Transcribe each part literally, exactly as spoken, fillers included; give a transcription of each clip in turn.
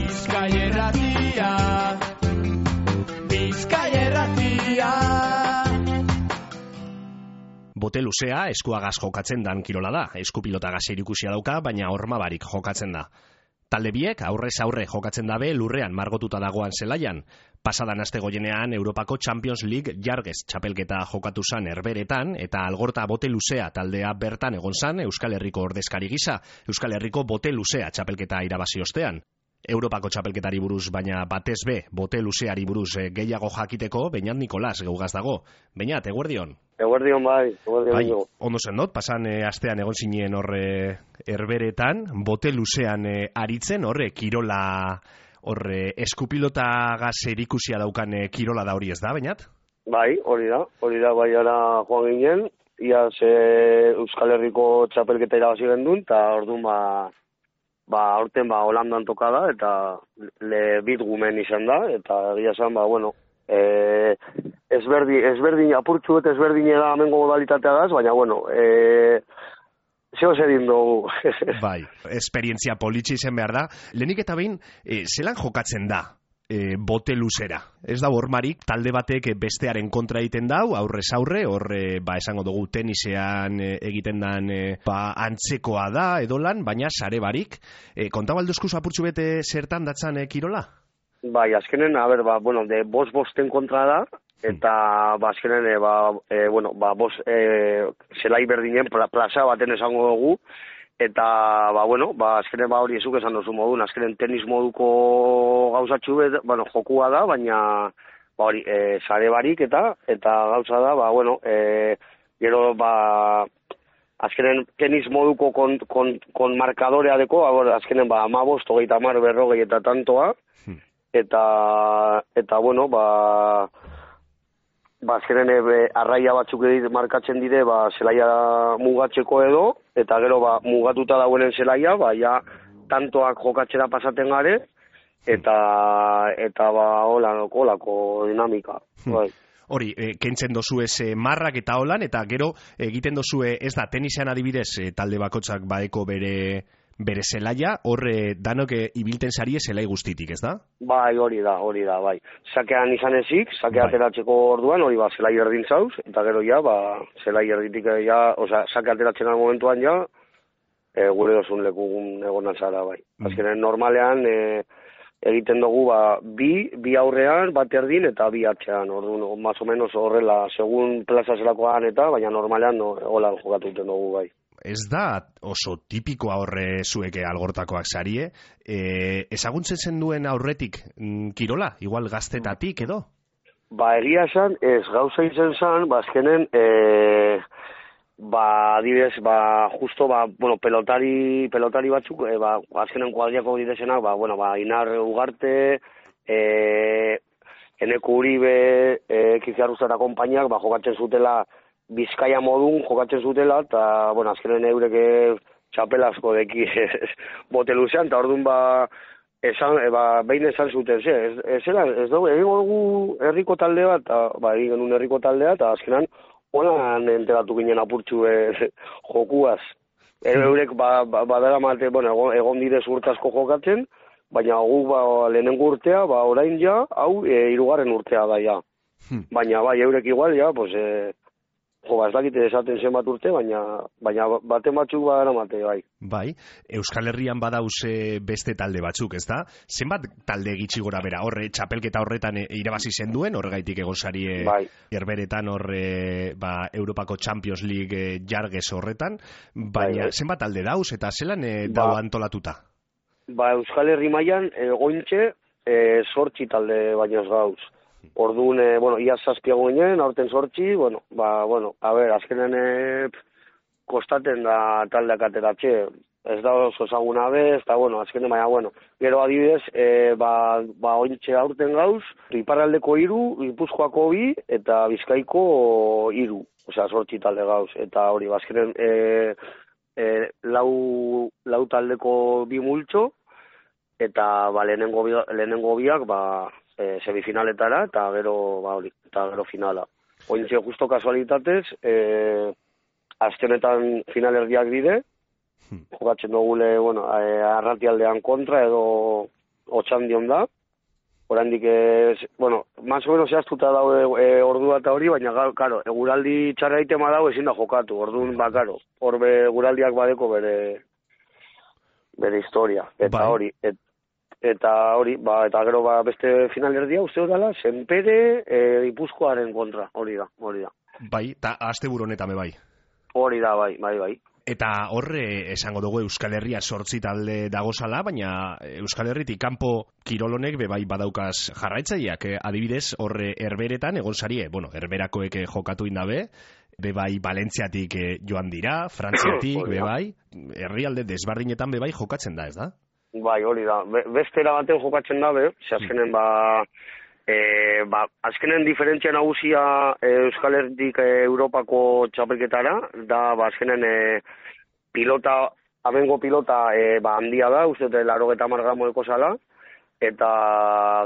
Bizkaia Irratia, Bizkaia Irratia. Bote luzea eskuagaz jokatzen dan kirola da. Eskupilotagaz erikusia dauka, baina horma barik jokatzen da. Talde biek aurrez aurre jokatzen dabe lurrean margotuta dagoan zelaian. Pasadan aste goienean Europako Champions League jargez txapelketa jokatu zan Herberetan eta Algorta bote luzea taldea bertan egon zan Euskal Herriko ordezkari gisa, Euskal Herriko bote luzea txapelketa irabazi ostean. Europako txapelketari buruz, baina batez be bote luzeari buruz gehiago jakiteko Beñat Nikolas geugaz dago. Beñat, eguerdion? Eguerdion bai, eguerdion. Bai, ondo zen dut, pasan e, astean egon zinen horre Herberetan, bote luzean e, aritzen, horre kirola, horre eskupilotagaz erikusia daukan e, kirola da hori ez da, Beñat? Bai, hori da, hori da, bai ara joan ginen, iaz e, Euskal Herriko txapelketa irabazi gendun, eta orduan ba, ba, aurten ba, Holandan toka da, eta le bit gumen izan da, eta egia esan, ba, bueno, e, ezberdin, ezberdin, apurtxu eta ezberdin eda amengo modalitatea daz, baina, bueno, e, zeo zedin dugu. Bai, esperientzia politxe izan behar da. Lehenik eta behin, e, zelan jokatzen da e, bote luzera? Ez da hormarik, talde batek bestearen kontra egiten dau, aurrez aurre, horre, ba, esango dugu tenisean e, egiten dan, e, ba, antzekoa da, edolan, baina sare barik. E, kontabalduzkuz apurtxu bete zertan datzan e, kirola? Bai, azkenen, a ber, ba, bueno, de bost-bosten kontra da, eta, ba, azkenen, e, ba, e, bueno, ba, bost, e, zelai berdinen pla, plaza baten esango dugu, eta, ba, bueno, ba, azkenen, ba, hori ezuk esan dozu modun, azkenen tenis moduko gauzatxu, bet, bueno, jokua da, baina, ba, hori, e, sare barik, eta, eta gauza da, ba, bueno, e, gero, ba, azkenen tenis moduko kon, kon, kon markadorea deko, azkenen, ba, amabost, hogeita mar, berrogei eta tantoa, eta, eta, bueno, ba, ba, azkenen e, arraia batzuk edit markatzen dire, ba, zelaia mugatzeko edo, eta gero, ba, mugatuta dagoenen zelaia, ba, ja, tantoak jokatzera pasaten gare, eta, eta, ba, holako, holako dinamika, bai. Hori, e, kentzen dozu ez e, marrak eta holan, eta gero egiten dozu ez da, tenisean adibidez, e, talde bakotsak baeko bere bere zelaia, horre danok e, ibilten sarie zelai guztitik, ez da? Bai, hori da, hori da, bai. Sakean izan ezik, sake bai. Ateratzeko orduan, hori ba, zelai erdin zauz, eta gero ja, ba, zelai erditik, ja, oza, sake ateratzen al momentuan ja, e, gure dozun lekugun egon altzara, bai. Mm. Azkenen, normalean, e, egiten dugu, ba, bi, bi aurrean, bat erdin, eta bi atxean, orduan, más o menos horrela, segun plaza zelakoan eta, baina normalean, no, holan jokatuten dugu, bai. Ez da oso tipikoa horre zueke Algortakoak sarie, e, ezaguntzen zen duen aurretik mm, kirola, igual gaztetatik edo? Ba, egia esan, ez gauza izan zen, ba, azkenen, e, ba, adibidez, ba, justo, ba, bueno, pelotari, pelotari batzuk, e, ba, azkenen kuadriako didezenak, ba, bueno, ba, Inar Ugarte, e, Eneko Uribe, e, Kiziarruzara konpainiak, ba, jokatzen zutela, Bizkaia modun jokatzen zutela, eta, bueno, azkenen eureke txapelasko deki bote luzean, eta orduan, ba, esan, e, ba, behin esan zuten, ze, ez, ez, ez dugu, egin dugu herriko taldea, eta, ba, egin genuen herriko taldea, eta azkenan, holan enteratu ginen apurtxu e, jokuaz. E, eurek, ba, ba, badara mate, bueno, egon, egon dire zurtazko jokatzen, baina gu, ba, lehenengo urtea, ba, orain ja, hau, e, hirugarren urtea da, ja. Baina, bai, eurek igual, ja, pues, e, jo, ba, ez dakite esaten zenbat urte, baina, baina baten batzuk badara mate, bai. Bai, Euskal Herrian badauz beste talde batzuk, ez da? Zenbat talde gitxi gora bera, horre, txapelketa horretan irabazi zen duen, horregaitik egon sarie bai. Herberetan horre, ba, Europako Champions League jargez horretan, baina bai, bai. Zenbat talde dauz eta zelan e, dau ba, antolatuta? Ba, Euskal Herri mailan egointxe, e, sortzi talde baina ez gauz. Orduan, e, bueno, ia zazpiago ginen, aurten sortzi, bueno, ba, bueno, a ber, azkenen e, kostaten da taldeak ateratxe, ez da oso ezaguna bez, eta, bueno, azkenen baina, bueno, gero adibidez, e, ba, ba, ointxe aurten gauz, iparraldeko hiru, Gipuzkoako bi, eta Bizkaiko hiru, osea, sortzi talde gauz, eta hori, ba, azkenen, e, e, lau, lau taldeko bi multxo, eta, ba, lehenengo, lehenengo biak, ba, E, semifinaletara, eta gero, ba, hori, eta gero finala. Ointxe, justo kasualitatez, e, azkenetan finalerdiak dire, jokatzen dugule, bueno, e, arratialdean kontra, edo, o lotxan dion da, oraindik ez, bueno, más o menos zehaztuta daude e, ordua eta hori, baina, karo, eguraldi txarra itema dago ezin da jokatu, orduan, ba, karo, hor be, eguraldiak badeko bere, bere historia, eta bai. hori, et, eta hori, ba, eta gero, ba, beste finalerdia, uste dela, Senpere, e, Gipuzkoaren kontra, hori da, hori da. Bai, eta asteburu honetan be bai. Hori da, bai, bai, bai. Eta horre esango dugu Euskal Herria sortzi talde dagozala, baina Euskal Herritik kanpo kirolonek be bai badaukaz jarraitzaileak, eh? Adibidez, horre Herberetan egon sarie, bueno, Herberakoek jokatu indabe, be bai Valentziatik eh, joan dira, Frantziatik be bai, herrialde desberdinetan be bai jokatzen da, ez da? Bai, hori da. Be, bestera baten jokatzen dabe, ze azkenen ba E, ba, azkenen diferentzia nagusia e, Euskal Herritik e, Europako txapelketara, da ba, azkenen e, pilota, abengo pilota e, ba, handia da, uste dut larogeta margramoeko zala, eta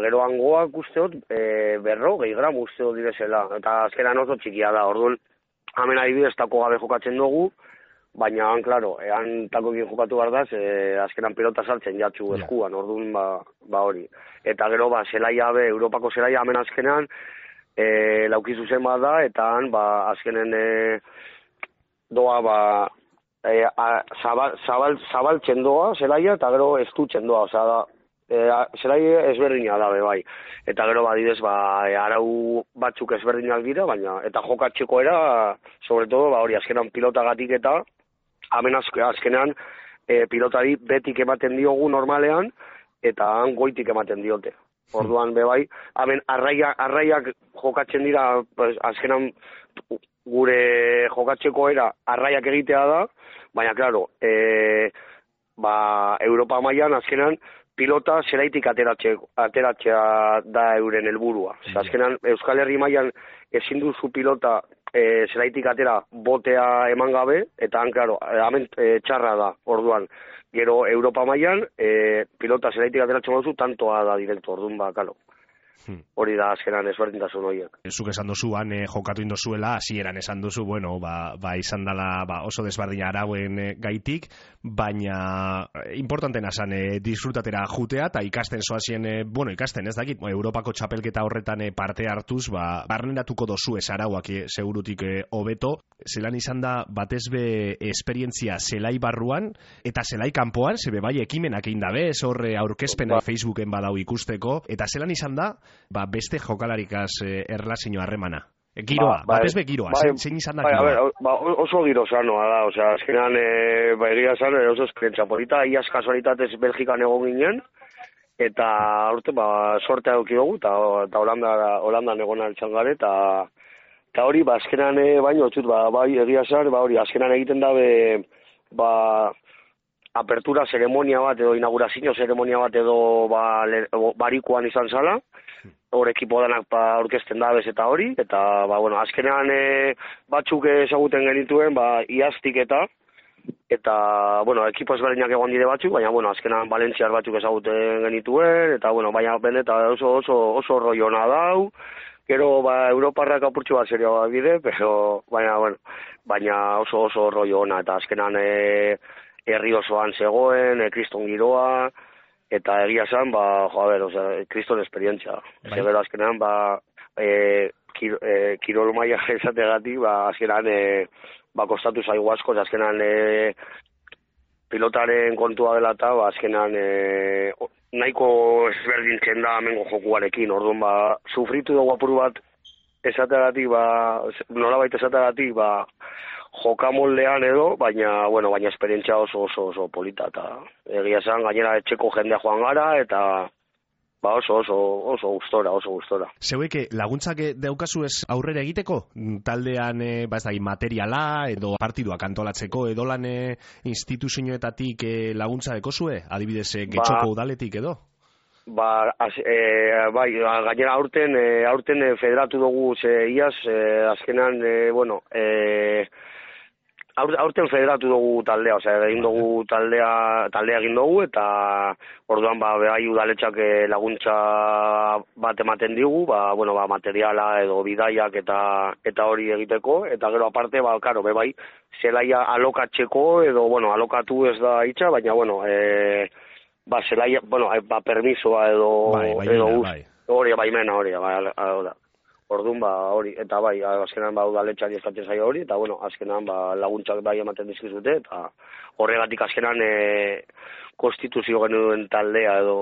gero hangoak usteot e, berro, gehi gram usteot direzela, eta azkenan oso txikia da, orduan, hemen adibidez tako gabe jokatzen dugu, baina, han, klaro, han takokin jokatu behar da, e, azkenan pilota saltzen jatzu eskuan, orduan, ba, ba hori. Eta gero, ba, zelaia be, Europako zelaia hemen azkenean, e, lauki zuzen bat da, eta han, ba, azkenen e, doa, ba, e, a, zabal, zabal, zabaltzen doa zelaia, eta gero estutzen doa, oza, da, e, zelaia ezberdina da, be, bai. Eta gero, badidez, ba, e, arau batzuk ezberdinak dira, baina, eta jokatzeko era, sobre todo, ba, hori, azkenan pilotagatik eta, hemen azkenean, e, pilotari betik ematen diogu normalean, eta han goitik ematen diote. Orduan, be bai, hemen arraia, arraiak jokatzen dira, pues, azkenan gure jokatzeko era arraiak egitea da, baina, klaro, e, ba, Europa mailan azkenan pilota zelaitik ateratzea da euren helburua. Azkenan, Euskal Herri mailan ezin duzu pilota e, zelaitik atera botea eman gabe, eta han, klaro, hemen e, txarra da, orduan. Gero Europa mailan e, pilota zelaitik ateratzen duzu, tantoa da direkto, orduan, ba, kalo. Hori da azkenan ezberdintasun horiek. Zuk esan duzu, han eh, jokatu indozuela, hasieran esan duzu, bueno, ba, ba izan dela ba, oso desberdina arauen eh, gaitik, baina eh, importantena zan eh, disfrutatera jutea, eta ikasten zoazien, eh, bueno, ikasten ez dakit, Europako txapelketa horretan eh, parte hartuz, ba, barneratuko dozu ez arauak eh, segurutik hobeto, eh, zelan izan da batez be esperientzia zelai barruan, eta zelai kanpoan, zebe bai ekimenak egin dabe, ez horre aurkezpena ba. Facebooken badau ikusteko, eta zelan izan da, ba, beste jokalarikaz eh, erlazio harremana. E, giroa, ba, batez be giroa, bai, zein izan da bai, giroa? A ver, ba, oso giro sanoa da, osea, azkenan e, ba, egia zan, oso esperientzia polita, iaz kasualitatez Belgikan egon ginen, eta urte, ba, sortea eduki dugu, eta, eta Holanda, Holandan egon altxan gare, eta eta hori, ba, azkenan, e, baino, txut, ba, bai, egia zan, ba, hori, azkenan egiten dabe, ba, apertura zeremonia bat edo inaugurazio zeremonia bat edo ba, le, barikuan izan zala, hor ekipo danak ba, orkesten dabez eta hori, eta ba, bueno, azkenean e, batzuk ezaguten genituen ba, iaztik eta, eta bueno, ekipo ezberdinak egon dire batzuk, baina bueno, azkenean Valentziar batzuk ezaguten genituen, eta bueno, baina benetan oso, oso, oso roiona dau, gero ba, Europarrak apurtxu bat serioa bide, pero baina, bueno, baina oso oso roiona, eta azkenean e, herri osoan zegoen, e, kriston giroa, eta egia zan, ba, jo, a ber, o sea, kriston esperientzia. Bai. Gero azkenean, ba, e, kir, e, kirol maia esategatik, ba, azkenean, e, ba, kostatu zaigu asko, azkenean, e, pilotaren kontua dela eta, ba, azkenean, e, nahiko ezberdintzen da amengo jokuarekin, orduan, ba, sufritu dugu apuru bat esategatik, ba, nolabait esategatik, ba, jokamoldean edo, baina, bueno, baina esperientzia oso oso oso polita, eta egia esan, gainera etxeko jendea joan gara, eta ba oso oso oso gustora, oso gustora. Zeuek laguntzak daukazu ez aurrera egiteko? Taldean, ba ez da, materiala, edo partiduak antolatzeko, edo lan instituzioetatik laguntza dekozue? Adibidez, Getxoko ba, udaletik edo? Ba, az, e, bai, gainera aurten, e, aurten federatu dugu ze iaz, e, azkenan, e, bueno, e, aurten federatu dugu taldea, osea, egin dugu taldea, taldea egin dugu, eta orduan, ba, behai udaletxak laguntza bat ematen digu, ba, bueno, ba, materiala edo bidaiak eta eta hori egiteko, eta gero aparte, ba, karo, bebai, zelaia alokatzeko, edo, bueno, alokatu ez da hitza, baina, bueno, e, ba, zelaia, bueno, ba, permisoa edo, bai, baimena, edo uz, bai. hori, baimena hori, bai, hori, orduan, ba, hori, eta bai, azkenan, ba, udaletxari eskatzen zaio hori, eta, bueno, azkenan, ba, laguntzak bai ematen dizkizute, eta horregatik azkenan, e, konstituzio genuen taldea edo,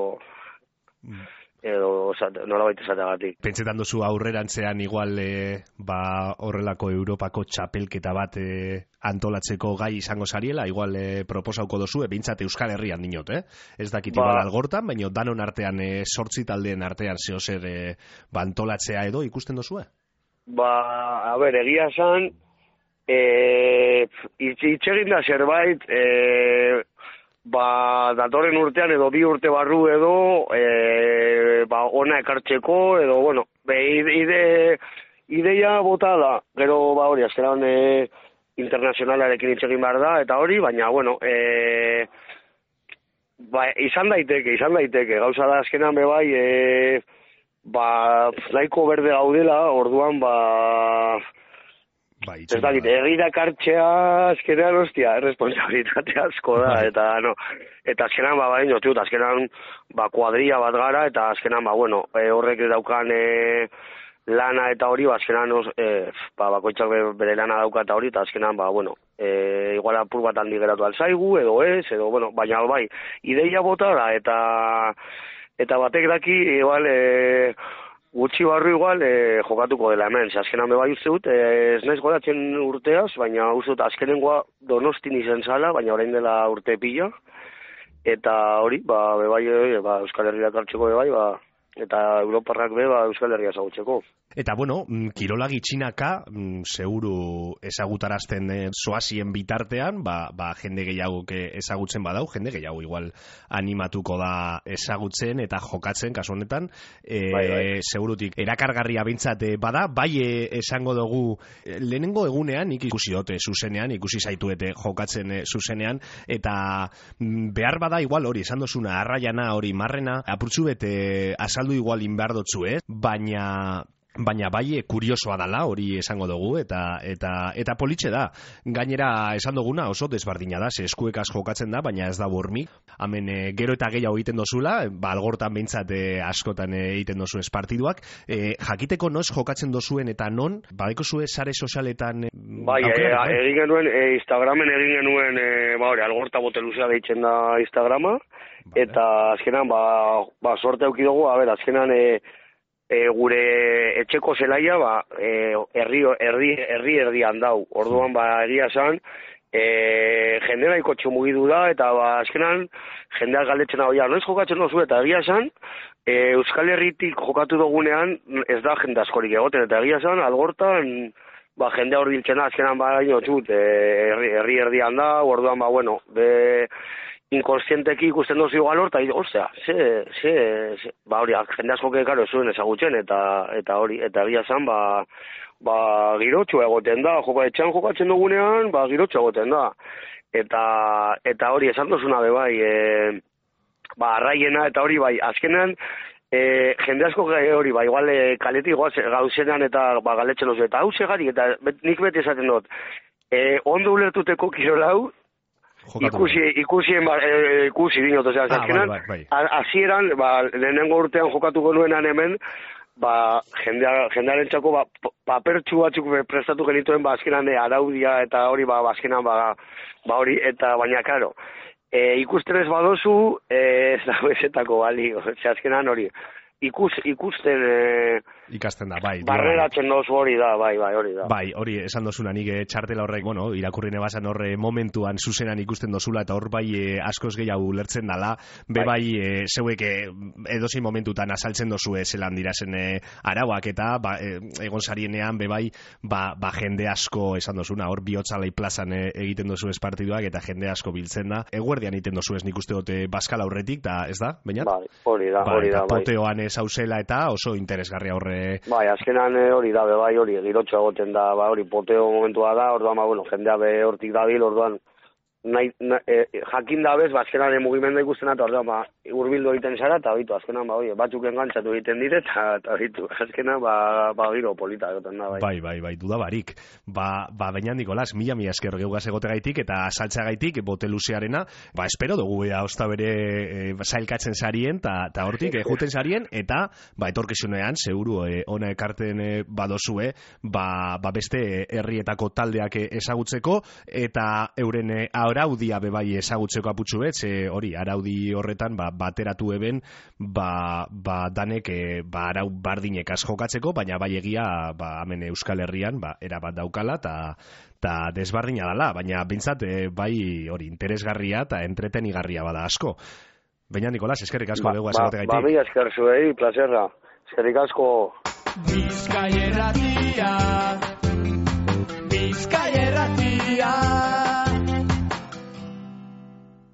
mm. edo, nolabait esateagatik. Pentsetan duzu aurrerantzean igual, e, ba, horrelako Europako txapelketa bat e, antolatzeko gai izango zariela, igual e, proposauko dozu, e, bintzat Euskal Herrian dinot, eh? Ez dakit ba, igual algortan, baina danon artean, e, sortzi taldeen artean zehozer e, ba, antolatzea edo ikusten dozue? Ba, a ber, egia esan, e, itxegin da zerbait, e, ba, datorren urtean edo bi urte barru edo, e, ba, ona ekartzeko, edo, bueno, be, ide, ideia bota da, gero, ba, hori, azkeran, e, internazionalarekin itxegin behar da, eta hori, baina, bueno, e, ba, izan daiteke, izan daiteke, gauza da azkenan be bai, e, ba, nahiko berde gaudela, orduan, ba, ba, ez dakit, egira kartxea azkenean, ostia, responsabilitate asko da, eta, no, eta azkenan, ba, baino, tiut, azkenan, ba, kuadria bat gara, eta azkenan, ba, bueno, e, horrek daukan, e, lana eta hori, ba, azkenan, os, e, ba, bakoitzak bere lana dauka eta hori, eta azkenan, ba, bueno, e, igual apur bat handi geratu alzaigu, edo ez, edo, bueno, baina, bai, ideia bota da, eta, eta batek daki, igual, e, gutxi barru igual, e, jokatuko dela hemen, ze azkenan bebai uste dut, e, ez naiz goratzen urteaz, baina uste dut azkenengoa Donostin izen zala, baina orain dela urte pila, eta hori, ba, bebai, e, ba, Euskal Herriak hartzeko bebai, ba, eta Europarrak be, ba, Euskal Herria ezagutzeko. Eta, bueno, kirola gitxinaka, seguru ezagutarazten e, zoazien bitartean, ba, ba, jende gehiago ezagutzen badau, jende gehiago igual animatuko da ezagutzen eta jokatzen, kasu honetan, e, bai, bai. segurutik erakargarria bintzat bada, bai e, esango dugu, lehenengo egunean, nik ikusi dote zuzenean, ikusi zaituete jokatzen e, zuzenean, eta behar bada igual hori, esan dozuna, arraiana hori marrena, apurtzu bete azaldu igual inbehar dotzu, eh? baina... Baina bai kuriosoa dala, hori esango dugu, eta eta eta politxe da. Gainera esan duguna oso desbardina da, ze eskuekaz jokatzen da, baina ez da burmik. Hemen e, gero eta gehiago egiten dozula, ba, algortan behintzat e, askotan e, egiten dozu ez partiduak. E, jakiteko noiz jokatzen dozuen eta non, badeko zue sare sozialetan... E, bai, e, egin genuen, e, Instagramen egin genuen, e, ba, hori, algorta boteluzea deitzen da Instagrama, vale. Eta azkenan, ba, ba sorte auki dugu, a ber, azkenan... E, E, gure etxeko zelaia, ba, e, herri, herri, herri erdian dau. Orduan, ba, egia esan, e, jendera ikotxo mugidu da, eta, ba, azkenan, jendea galdetzen hau, ja, noiz jokatzen dozu, eta egia esan, e, Euskal Herritik jokatu dugunean, ez da jende askorik egoten, eta egia esan, algortan, ba, jendea hor biltzen da, azkenan, ba, ino, txut, e, herri, herri erdian da, orduan, ba, bueno, be... inkonstienteki ikusten dozu igual hor, eta ostia, ze, ze, ze, ba hori, jende asko kekaro zuen ezagutzen, eta eta hori, eta egia zan, ba, ba girotxo egoten da, joko etxean jokatzen dugunean, ba girotxo egoten da, eta eta hori, esan dozuna be bai, e, ba arraiena, eta hori bai, azkenean, e, jende asko hori, ba, igual e, kaletik gauzenean, eta ba galetzen dozu, eta hau segari, eta bet, nik beti esaten dut, e, ondo ulertuteko kirolau, Ikusi, ikusi, e, ikusi dinot, ozera, ah, azkenan, bai, bai, bai. Azieran, ba, lehenengo urtean jokatuko nuenan hemen, ba, jendea, jendearen txako, ba, papertxu batzuk prestatu genituen, ba, azkenan, e, araudia, eta hori, ba, azkenan, ba, ba, hori, eta baina, karo, e, ikusten ez badozu, e, ez da bezetako bali, ozera, azkenan hori, ikus, ikusten... E, ikasten da, bai. Barreratzen dozu hori da, bai, bai, hori da. Bai, hori esan dozuna, nik txartela horrek, bueno, irakurrine bazan horre momentuan zuzenan ikusten dozula, eta hor bai e, askoz gehiago ulertzen dala, be bai, bai e, zeuek e, edozein momentutan azaltzen dozu zelan dirazen e, arauak, eta ba, e, egon zarienean, be bai, ba, ba jende asko esan dozuna, hor bihotzalei plazan e, egiten dozu ez partiduak, eta jende asko biltzen da. Eguerdian egiten dozu ez nik uste dute Baskal aurretik, da, ez da, bainat? Bai, hori da, hori da, bai. Poteoan zauzela eta oso interesgarria horre. Bai, azkenan hori da, bai, hori, girotxo egoten da, ba, hori, poteo momentua da, orduan, ba, bueno, jendea be hortik dabil, orduan, nahi, na, e, jakin dabez, ba, azkenan mugimendua ikusten eta orduan, ba, urbildu egiten zara, eta bitu, azkenan, ba, oie, batzuk engantzatu egiten dire, eta, eta bitu, azkenan, ba, ba, giro polita egoten da, bai. Bai, bai, bai, dudabarik. Ba, ba, baina, Nikolas, mila mila esker geugaz egotegaitik, eta saltzagaitik, bote luzearena, ba, espero dugu, ea, osta bere, e, sailkatzen sarien, eta hortik, e, juten sarien, eta, ba, etorkizunean, seguru, e, ona ekarten e, badozue, ba, ba, beste herrietako taldeak ezagutzeko, eta euren e, araudia bebai ezagutzeko aputxu bet, ze hori, araudi horretan, ba, bateratu eben, ba, ba danek, e, ba, arau bardinekaz jokatzeko, baina bai egia, ba, hemen Euskal Herrian, ba, erabat daukala, eta ta desbardina dala, baina bintzat, e, bai hori, interesgarria eta entretenigarria bada asko. Baina, Nikolas, eskerrik asko ba, dugu ba, azegote gaitik. Ba, mi esker zuei, plazerra. Eskerrik asko. Bizkaia irratia, Bizkaia irratia.